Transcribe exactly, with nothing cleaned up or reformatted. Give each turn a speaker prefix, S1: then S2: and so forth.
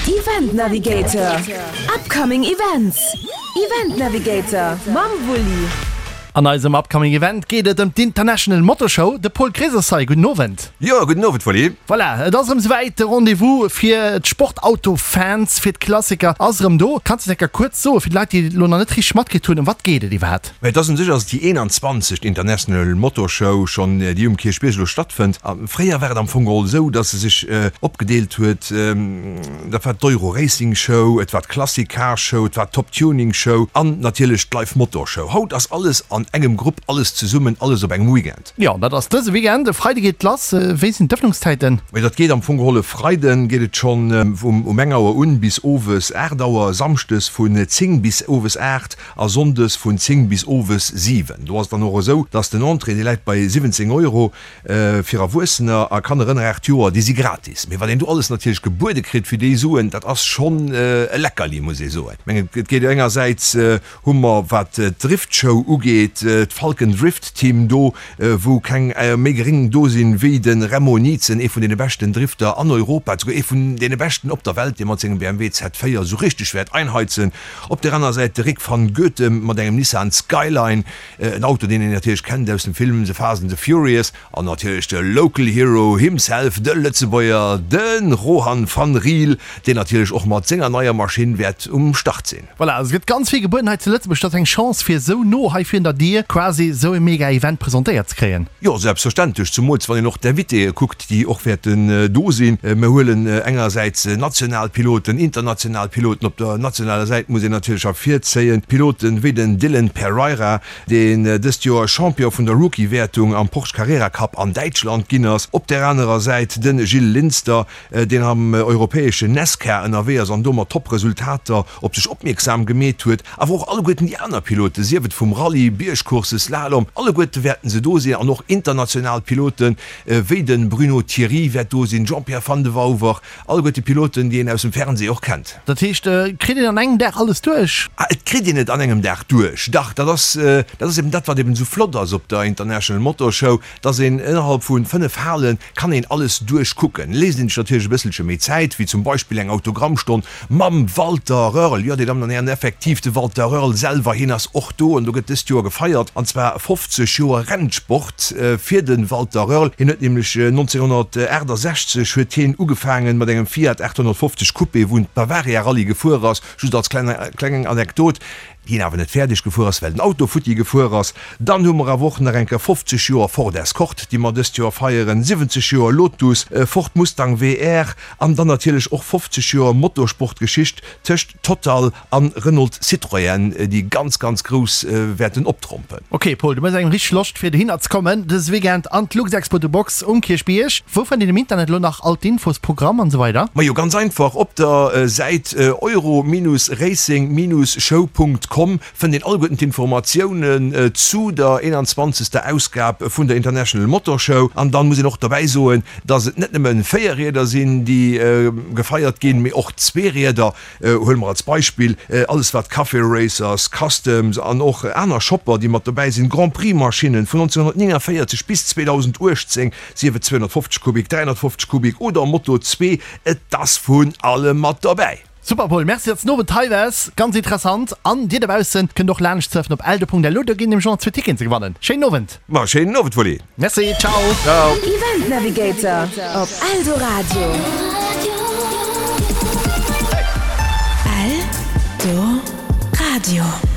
S1: Event Navigator, Upcoming Events. Event Navigator mam Wulli.
S2: An eisem Upcoming Event geet et ëm d'International Motor Show. De Paul Krees ass hei. Gudden Owend.
S3: Jo, gudden Owend, Wally.
S2: Voilà, et ass erëm esouwäit. De Rendez-vous fir d'Sportauto-Fans, fir d'Klassiker ass erëm do. Kanns de enker kuerz soen, fir d'Leit, déi et elo nach net richteg matkritt hunn, ëm wat geet et iwwerhaapt?
S3: Mä et ass un sech ass et déi eenanzwanzegt International Motor Show schonn, déi um Kierchbierg elo stattfënnt. A fréier war et am Fong geholl esou, datt se sech opgedeelt huet, dat war d'Euro Racing Show, et war d'Classic Car Show, et war d'Top Tuning Show an natierlech d'Live Motor Show. Haut ass alles an engem Grupp, alles zesummen, alles op engem Weekend.
S2: Jo, dat ass dëse Weekend. E Freide geet et lass. Wéi sinn d'Ëffnungszäiten?
S3: Mee dat geet am Fong geholl e Freide geet et schonn um um eng Auer un bis owes aacht Auer, samschdes vun zéng bis owes aacht a sonndes vun zéng bis owes siwen. Do ass et dann och esou, dass den Entrée, dee läit bei siwwenzéng Euro fir Erwuessener a Kanner ënner aacht Joer, déi si gratis. Mee wat een do alles natierlech gebuede kritt fir déi Suen, dat ass schonn e Leckerli, muss ee soen. Ech mengen, et geet engersäits hu mer, wat d'Driftshow ugeet, d'Falcon Drift Team do, wou keng méi geréng do sinn wéi de Remo Nietzen, ee vun deene beschten Drifter an Europa, souguer ee vun deene beschten op der Welt, dee mat sengem B M W Z véier esou richteg wäert einheizen. Op där aner Säit de Rick van Goethem mat engem Nissan Skyline, en Auto, deen een natierlech kennt aus dem Film The Fast and the Furious, an natierlech de Local Hero himself, de Lëtzebuerger, de Rohan van Riel, deen natierlech och mat senger neier Maschinn wäert um Start sinn.
S2: Voilà, also et gëtt ganz vill gebueden hei zu Lëtzebuerg. Dat ass eng Chance fir esou no hei virun der Dier quasi esou e mega Event presentéiert ze kréien.
S3: Jo, selbstverständlech, zumools wann een och d'Invitéë kuckt, déi och wäerten do sinn. Mir huelen engersäits national Piloten, international Piloten. Op der nationaler Säit muss een natierlech ervirzéien Piloten wéi den Dylan Pereira, deen dëst Joer Champion vun der Rookie-Wäertung am Porsche Carrera Cup an Däitschland ginn ass. Op där anerer Säit de Gilles Linster, deen am europäeschen NASCAR ënnerwee ass an do mat Top-Resultater op sech opmierksam gemeet huet. Awer och alleguerten déi aner Piloten, sief et vum Rallye, Biergcourse, Slalom, alleguerte wäerten se do sinn. An och international Piloten, wéi de Bruno Thiry wäert do sinn, Jean-Pierre Van de Wauwer, alleguerte Piloten, déi een aus dem Fernseh och kennt.
S2: Dat heescht, kritt een an engem Dag alles duerch?
S3: Ah, et kritt een et an engem Dag duerch, dach. Dat ass, dat ass eben dat, wat eben esou flott ass op der International Motor Show, dass een innerhalb vu fënnef Hale kann een alles duerchkucken. Léisst een sech natierlech e bësselche méi Zäit, wéi zum Beispill eng Autogrammstonn mam Walter Röhrl. Jo, Dir Dammen an Hären, effektiv, de Walter Röhrl selwer, hien ass och do an do gëtt dëst Joer gefeiert, an zwar fofzeg Joer Rennsport fir de Walter Röhrl. Hien huet nämlech nonzénghonnertaachtasechzeg huet hien ugefaangen mat engem Fiat aathonnertfofzeg Coupé, wou en d'Bavaria Rallye gefuer ass, just als kleng Anekdot, deen awer net fäerdeg gefuer ass, well den Auto futti gefuer ass. Dann hu mer awer och nach eng Kéier fofzeg Joer Ford Escort, déi mer dëst Joer feieren, siwwenzeg Joer Lotus, Ford Mustang W R an dann natierlech och fofzeg Joer Motorsportgeschicht tëscht Total an Renault Citroën, déi ganz, ganz grouss wäerten optrompen.
S2: Ok Paul, du méchs engem richteg Loscht fir dohinner ze kommen dëse Weekend an d'Luxexpo The Box um Kierchbierg. Wou fënnt een am Internet elo nach all d'Infos, Programm an esou weider?
S3: Majo, ganz einfach, op der Säit euro-racing-show.com fënnt een alleguerten d'Informatiounen zu der eenanzwanzegster Ausgab vun der International Motor Show. An dann muss een och dobäi soen, dass et net nëmmen Véierrieder sinn, déi gefeiert ginn, mee och Zweerieder. Huele mer als Beispill alles wat Café Racers, Customs an och aner Shopper, déi mat dobäi sinn, Grand Prix Maschinnen vun nonzénhunnertnénganvéierzeg bis zweedausenduechtzéng, sief et zweehonnertfofzeg Kubik, dräihonnertfofzeg Kubik oder Moto zwee, et ass vun allem mat dobäi.
S2: Super Paul, merci datts den Owend hei waars, ganz interessant. An dir dobaussen kënnt och laanscht surfen op eldo.lu, do ginn nämlech och nach zwee Ticketen ze gewannen. Schéinen Owend!
S3: Ma schéinen Owend Wally!
S2: Merci, ciao!
S3: Ciao!
S1: Event Navigator op Eldoradio. Eldoradio.